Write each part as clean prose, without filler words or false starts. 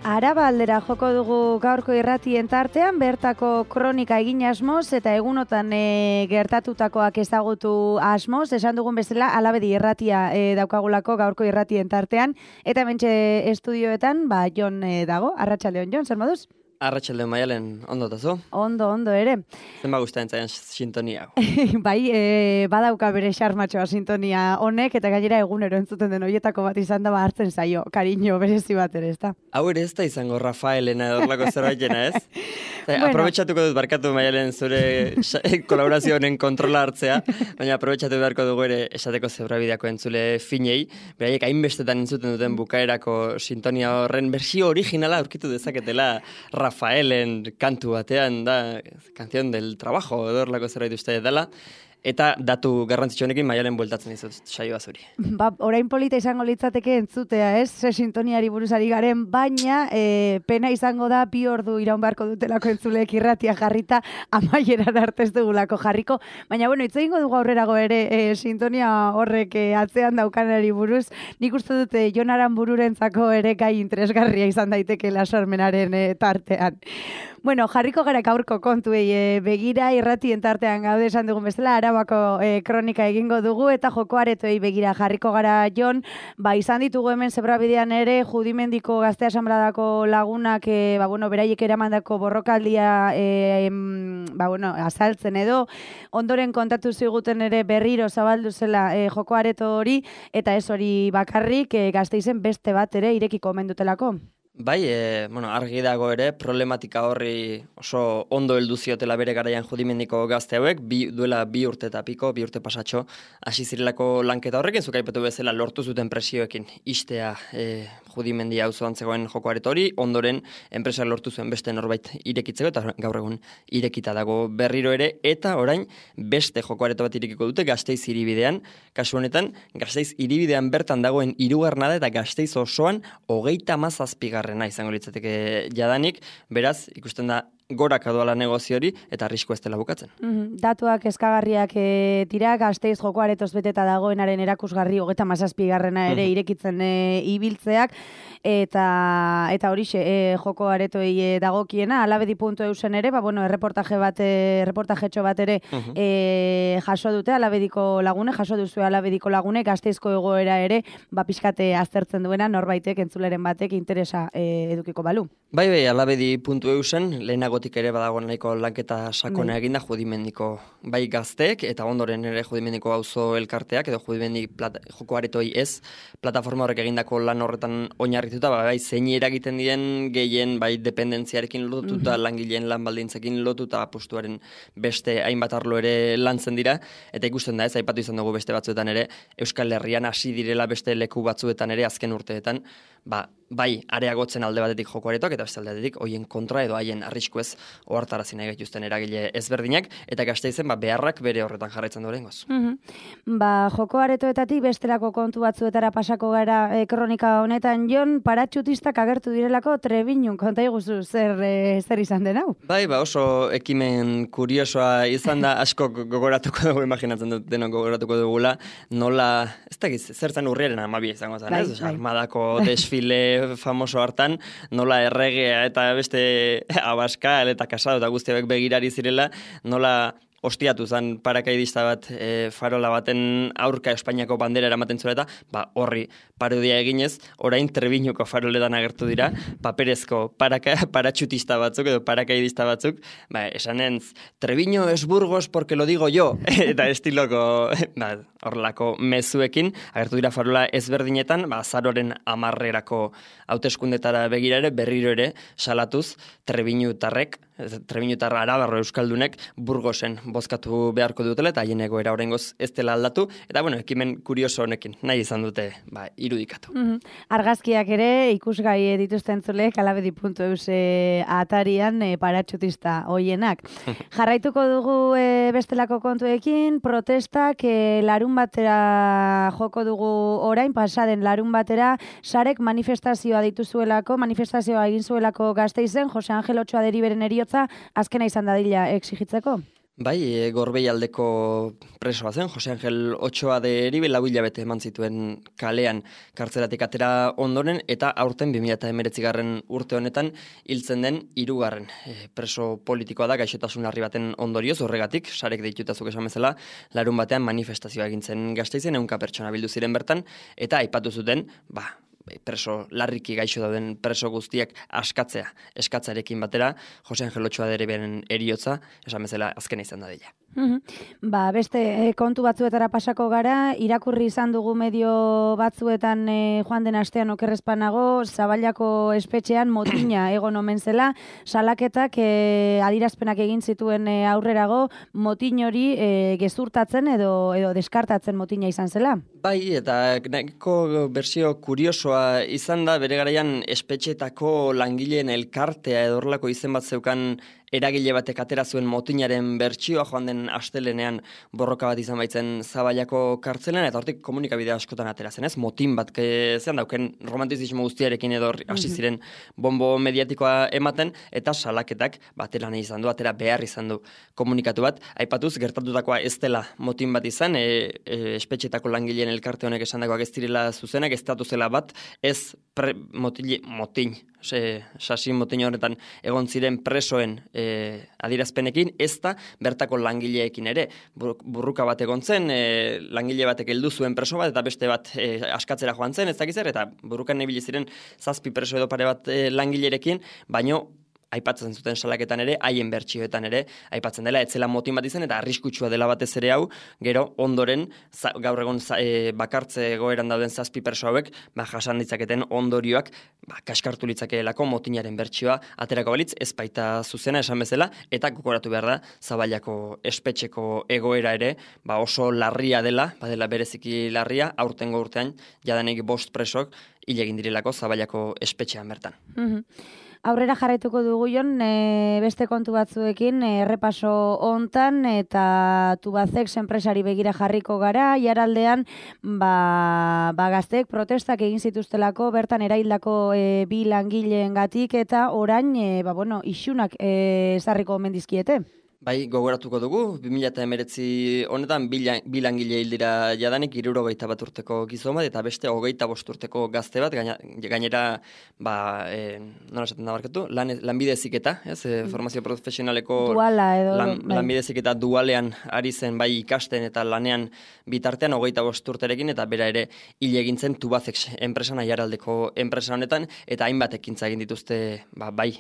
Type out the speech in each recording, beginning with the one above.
Araba aldera joko dugu gaurko irratien tartean, bertako kronika egin asmoz eta egunotan gertatutakoak ezagutu asmoz, esan dugun bezala Alabedi irratia daukagulako gaurko irratien tartean, eta hementxe estudioetan, Jon dago, arratsaldeon Jon, zer moduz? Arratsaldeon Maialen, ondo tazu? Ondo ere. Zenba gustatzen zaian sintonia? Bai, badauka bere xarmatxoa sintonia honek, eta gainera egunero entzuten den horietako bat izan da hartzen zaio, kariño berezi bat ere, ezta? Hau ere ez da izango Rafaelena edorlako zerbaitena, ez? Aprobetxatuko dut, barkatu Maialen zure kolaborazio honen kontrola hartzea, baina aprobetxatu beharko dugu ere esateko zebrabideako entzule finei, beraiek hainbestetan entzuten duten bukaerako sintonia horren bersio originala aurkitu dezaketela Rafaelen kantu batean da, canción del trabajo, edorlako zerbait uste dela, eta datu garrantzitsu honekin Maialen bueltatzen dizut saioa zuri. Orain polita izango litzateke entzutea, ez? Ze sintoniari buruzari garen, baina pena izango da 2 ordu iraun beharko dutelako entzuleek irratia jarrita amaiera arte ez dugulako jarriko. Baina, hitz egingo dugu aurrerago ere sintonia horrek atzean daukanari buruz. Nik uste dute Jon Aranbururentzako ere gai interesgarria izan daitekeela sormenaren tartean. Jarriko gara gaurko kontuei begira, irratien tartean gaude esan dugun bezala, Arabako kronika egingo dugu, eta joko aretoei begira jarriko gara Jon, izan ditugu hemen zebrabidean ere, Judimendiko Gazte Asanbladako lagunak, beraiek eramandako borrokaldia azaltzen edo, ondoren kontatu ziguten ere berriro zabaldu zela joko areto hori, eta ez hori bakarrik, Gasteizen beste bat ere irekiko omen dutelako. Bai, argi dago ere, problematika horri oso ondo heldu ziotela bere garaian Judimendiko gazte hauek, duela 2 urte eta piko, 2 urte pasatxo, hasi zirelako lanketa horrekin, zuk aipatu bezala lortu zuten presioekin istea Judimendi auzoan zegoen joko areto hori, ondoren enpresa lortu zuen beste norbait irekitzeko, eta gaur egun irekita dago berriro ere, eta orain beste joko areto bat irekiko dute Gasteiz hiribidean, kasu honetan, Gasteiz hiribidean bertan dagoen 3. da eta Gasteiz osoan 37. izango litzateke jadanik, beraz, ikusten da gorak adoala negozio hori, eta arrisku ez dela bukatzen. Datuak eskagarriak dira, Gasteiz joko aretoz beteta dagoenaren erakusgarri 37. ere irekitzen ibiltzeak, eta horixe joko aretoei dagokiena, alabedi.eusen ere, erreportajetxo bat ere jaso dute, alabediko lagune, jaso duzu alabediko lagune, Gasteizko egoera ere, pixkate aztertzen duena, norbaitek, entzuleren batek, interesa edukiko balu. Bai, alabedi.eusen, lehenagotik ere badagoen nahiko lanketa sakona eginda Judimendiko bai gazteek, eta ondoren ere Judimendiko auzo elkarteak, edo Judimendi joko aretoi ez, plataforma horrek egindako lan horretan oinarrituta, bai zein eragiten dien gehien bai dependentziarekin lotuta, langileen lan baldintzekin lotuta, apustuaren beste hainbat arlo ere lantzen dira, eta ikusten da ez, aipatu izan dugu beste batzuetan ere, Euskal Herrian hasi direla beste leku batzuetan ere azken urteetan, bai areagotzen alde batetik joko aretoak, eta beste alde batetik hoien kontra edo haien arriskuez ohartarazi nahi gaituzten eragile ezberdinak, eta Gasteizen beharrak bere horretan jarraitzen du oraingoz. Joko aretoetatik bestelako kontu batzuetara pasako gara kronika honetan, Jon, paratxutistak agertu direlako Trebiñun, konta iguzu zer izan den hau? Bai, oso ekimen kuriosoa izan da, asko gogoratuko dugu, imaginatzen dut denok gogoratuko dugula, nola, ez da giz, zertzen urriaren 12 izango zen, ez? Armadako desfile famoso hartan, nola erregea eta beste Abascal eta Casado eta guztiak begirari zirela, nola ostiatu zen parakaidista bat farola baten aurka Espainiako bandera eramaten zuela eta horri parodia eginez, orain Trebiñuko faroletan agertu dira, paperezko paratxutista batzuk edo parakaidista batzuk, esanentz, Trebiño es Burgos porque lo digo yo, eta estiloko horrelako mezuekin, agertu dira farola ezberdinetan, azaroren 10 hauteskundetara begira ere, berriro ere, salatuz, Trebiñutarrek, Trebiñutar arabarro euskaldunek Burgosen bozkatu beharko dutela, eta haien egoera oraingoz ez dela aldatu, eta ekimen kurioso honekin nahi izan dute irudikatu. Argazkiak ere ikusgai dituzten zulek alabedi.eus atarian paratxutista hoienak. Jarraituko dugu bestelako kontuekin, protestak larun batera joko dugu orain, pasaden larun batera, sarek manifestazioa dituzuelako, manifestazioa egin zuelako Gasteizen, Jose Angel Otxoa deriberen eriotza, azkena izan dadila exigitzeko? Bai, Gorbei aldeko presoa zen, Jose Angel Ochoa de Eribe lau hilabete eman zituen kalean kartzelatik atera ondoren, eta aurten 2019 urte honetan hiltzen den 3. Preso politikoa da, gaixotasun larri baten ondorioz, horregatik, sarek deitutazuk esan bezala, larun batean manifestazioa egintzen Gasteizen, 100 pertsona bildu ziren bertan, eta aipatu zuten, preso larriki gaixo dauden preso guztiak eskatzarekin batera, Jose Angel Ochoa de Eriberen eriotza, esan bezala azkena izan da dela. Beste kontu batzuetara pasako gara, irakurri izan dugu medio batzuetan joan den astean okerrezpanago, Zaballako espetxean motina egon omen zela, salaketak adirazpenak egin zituen aurrerago, motin hori gezurtatzen edo deskartatzen motina izan zela. Bai, eta nahiko bersio kuriosoa izan da, bere garaian espetxetako langileen elkartea edo horrelako izen bat zeukan eragile batek atera zuen motinaren bertsioa joan den astelenean borroka bat izan baitzen Zaballako kartzelean, eta hortik komunikabide askotan atera zen, ez? Motin bat zean dauken romantizismo guztiarekin edo hasi ziren bombo mediatikoa ematen, eta salaketak batera nahi izan du, atera behar izan du komunikatu bat. Aipatuz, gertatutakoa ez dela motin bat izan, espetxetako langileen elkarte honek esandakoak ez direla zuzenak, ez zela bat, ez motin, sasi motin horretan egon ziren presoen adirazpenekin, ez da bertako langileekin ere. Burruka bat egon zen, langile batek heldu zuen preso bat, eta beste bat askatzera joan zen, ez dakizer, eta burrukan nebili ziren 7 preso edo pare bat langilerekin, baino aipatzen zuten salaketan ere, haien bertsioetan ere, aipatzen dela, etzela motin bat izan, eta arriskutsua dela batez ere hau, gero ondoren, gaur egon bakartze egoeran dauden 7 perso hauek, jasan ditzaketen ondorioak, kaskartu litzakeelako motinaren bertsioa aterako balitz, ez baita zuzena esan bezala, eta gogoratu behar da, Zaballako espetxeko egoera ere, oso larria dela, badela bereziki larria, aurtengo urtean, jadanik 5 presok, hil egin direlako Zaballako espetxean bertan. Aurrera jarraituko dugu Jon, beste kontu batzuekin, errepaso hontan eta Tubacex enpresari begira jarriko gara, jaraldean gazteek protestak egin zituztelako, bertan eraildako 2 langileengatik eta orain isunak ezarriko omen dizkiete. Bai, gogoratuko dugu, 2019 honetan 2 langile hildira jadanik 61 urteko gizon bat, eta beste 25 urteko gazte bat, gainera, nola esaten da barkatu, lanbide heziketa, formazio profesionaleko lanbide heziketa dualean ari zen bai ikasten eta lanean bitartean 25 urterekin, eta bera ere hil egin zen Tubacex enpresan, Aiaraldeko enpresa honetan, eta hainbat ekintza egin dituzte bai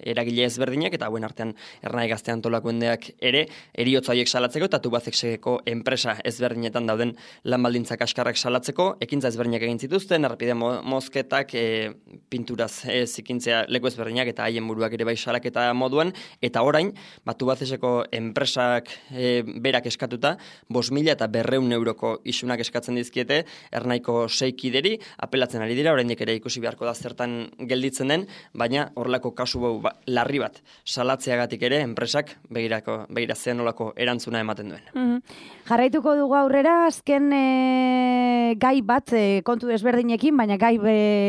eragile ezberdinak, eta hauen artean Ernai Gazte antolakoen ere, eriotza horiek salatzeko eta Tubacexeko enpresa ezberdinetan dauden lan baldintzak kaskarrak salatzeko, ekintza ezberdinak egin zituzten, errepide mozketak, pinturaz zikintzea leku ezberdinak eta haien buruak ere bai salaketa moduan, eta orain, Tubacexeko enpresak berak eskatuta, 5.000 eta 200 euroko isunak eskatzen dizkiete, Ernaiko 6 kideri, apelatzen ari dira, oraindik ere ikusi beharko da zertan gelditzen den, baina horrelako kasu larri bat salatzeagatik ere enpresak begira zean nolako erantzuna ematen duen. Jarraituko dugu aurrera, azken gai bat kontu desberdinekin, baina gai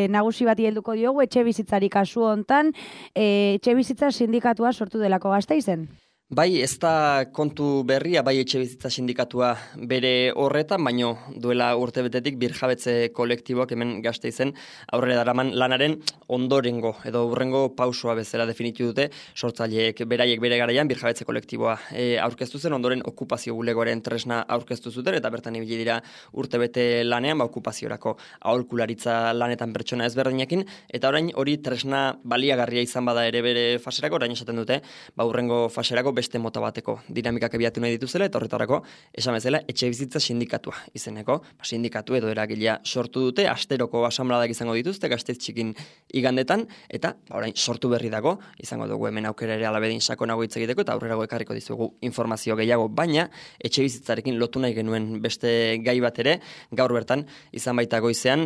nagusi bati helduko diogu, etxebizitzari kasu hontan, etxebizitza sindikatua sortu delako Gasteizen. Bai, ez da kontu berria, bai etxebizitza sindikatua bere horretan, baino duela urtebetetik birjabetze kolektiboak hemen Gasteizen aurrera daraman lanaren ondorengo edo hurrengo pausoa bezala definitu dute, sortzaileek beraiek bere garaian birjabetze kolektiboa aurkeztu zen, ondoren okupazio bulegoaren tresna aurkeztu zuten, eta bertan ibili dira urtebete lanean, okupaziorako aholkularitza lanetan pertsona ezberdinekin, eta orain hori tresna baliagarria izan bada ere bere faserako, orain esaten dute, hurrengo faserako beste mota bateko dinamikak abiatu nahi dituzela, eta horretarako esan bezala etxebizitza sindikatua izeneko, sindikatu edo eragilea sortu dute, asteroko asanbladak izango dituzte Gasteiz txikin igandetan, eta orain sortu berri dago, izango dugu hemen aukera ere alabedin sakonago hitz egiteko, eta aurrerago ekarriko dizugu informazio gehiago, baina etxebizitzarekin lotu nahi genuen beste gai bat ere, gaur bertan izan baita goizean,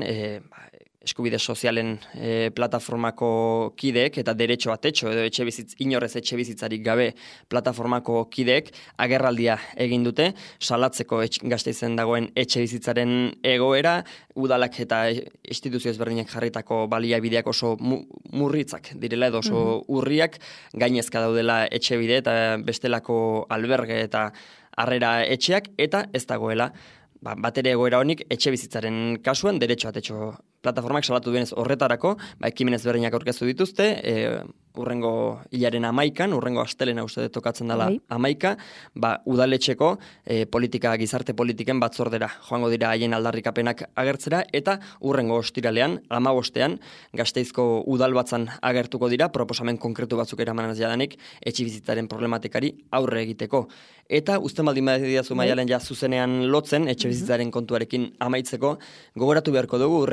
eskubide sozialen plataformako kideek eta derecho a techo edo inorrez etxe bizitzarik gabe plataformako kideek agerraldia egin dute, salatzeko Gasteizen dagoen etxe bizitzaren egoera, udalak eta instituzio ezberdinak jarritako baliabideak oso murritzak direla edo oso urriak, gainezka daudela etxe bide eta bestelako alberge eta harrera etxeak, eta ez dagoela batere egoera honik etxe bizitzaren kasuan derecho a techo plataformak salatu duenez horretarako, ekimen ezberdinak aurkeztu dituzte, urrengo hilaren 11, urrengo astelena uste dut tokatzen dela 11, udaletxeko gizarte politiken batzordera joango dira haien aldarrikapenak agertzera, eta urrengo ostiralean, 15ean, Gasteizko udalbatzan agertuko dira, proposamen konkretu batzuk eramanaz jadanik, etxe bizitzaren problematikari aurre egiteko. Eta uzten baldin badidazu Maialen zuzenean lotzen, etxe bizitzaren kontuarekin amaitzeko, gogoratu beharko dugu,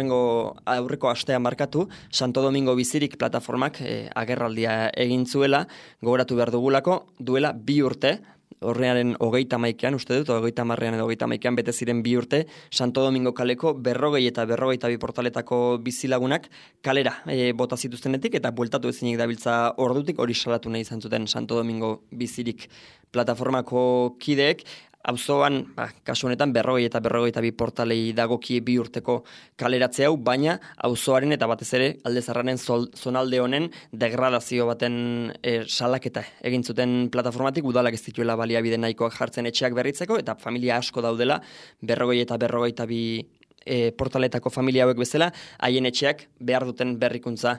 aurreko astean markatu, Santo Domingo Bizirik plataformak agerraldia egin zuela, gogoratu behar dugulako, duela 2 urte, horrearen 31ean, uste dut, 30ean edo 31ean bete ziren 2 urte, Santo Domingo kaleko 40 eta 42 portaletako bizilagunak kalera bota zituztenetik eta bueltatu ezinik dabiltza ordutik, hori salatu nahi izan zuten Santo Domingo Bizirik plataformako kideek. Auzoan, kasu honetan 40 eta 42 portalei dagokie 2 urteko kaleratze hau, baina auzoaren eta batez ere Alde Zaharraren zonalde honen degradazio baten salaketa egin zuten plataformatik, udalak ez dituela baliabide nahikoak jartzen etxeak berritzeko, eta familia asko daudela 40 eta 42 portaletako familia hauek bezala, haien etxeak behar duten berrikuntza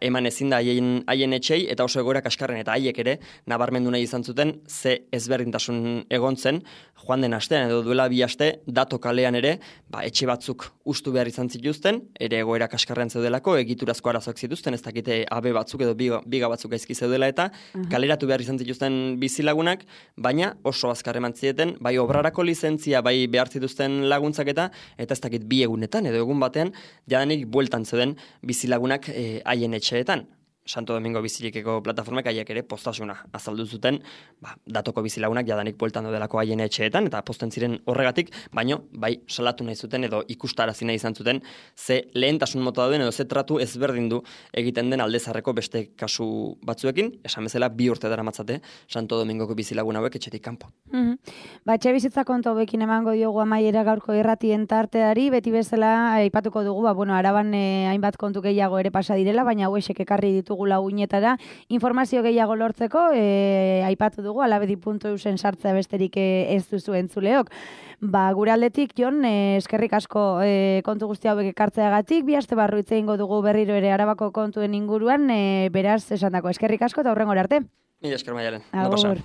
eman ezin da haien etxei, eta oso egoera kaskarren, eta haiek ere nabarmendu nahi izan zuten ze ezberdintasun egon zen, joan den astean edo duela 2 aste, dato kalean ere, etxe batzuk ustu behar izan zituzten, ere egoera kaskarren zeudelako, egiturazko arazoak zituzten, ez dakite AB batzuk edo biga batzuk gaizki zeudela, eta kaleratu behar izan zituzten bizilagunak, baina oso azkar eman zieten, bai obrarako lizentzia, bai behar zituzten laguntzak eta ez dakit 2 egunetan edo egun batean jadanik bueltan zeuden bizilagunak haien etxeetan. Santo Domingo Bizirikeko plataformak haiek ere postasuna azaldu zuten, datoko bizilagunak jadanik bueltan daudelako haien etxeetan, eta posten ziren horregatik, baino bai salatu nahi zuten edo ikustarazi nahi izan zuten ze lehentasun mota dauden edo ze tratu ezberdindu egiten den Alde Zaharreko beste kasu batzuekin, esan bezala 2 urte daramatzate Santo Domingoko bizilagun hauek etxetik kanpo. Etxe bizitza kontu hauekin emango diogu amaiera gaurko irratien tarteari, beti bezala aipatuko dugu, Araban hainbat kontu gehiago ere pasa direla, baina hauexek ekarri ditugula uinetara, informazio gehiago lortzeko, aipatu dugu, alabedi.eusen sartzea besterik ez duzu entzuleok. Gure aldetik, Jon, eskerrik asko kontu guzti hauek ekartzeagatik, 2 aste barru hitz egingo dugu berriro ere Arabako kontuen inguruan, beraz, esandako eskerrik asko eta hurrengora arte. Mila esker Maialen. Agur.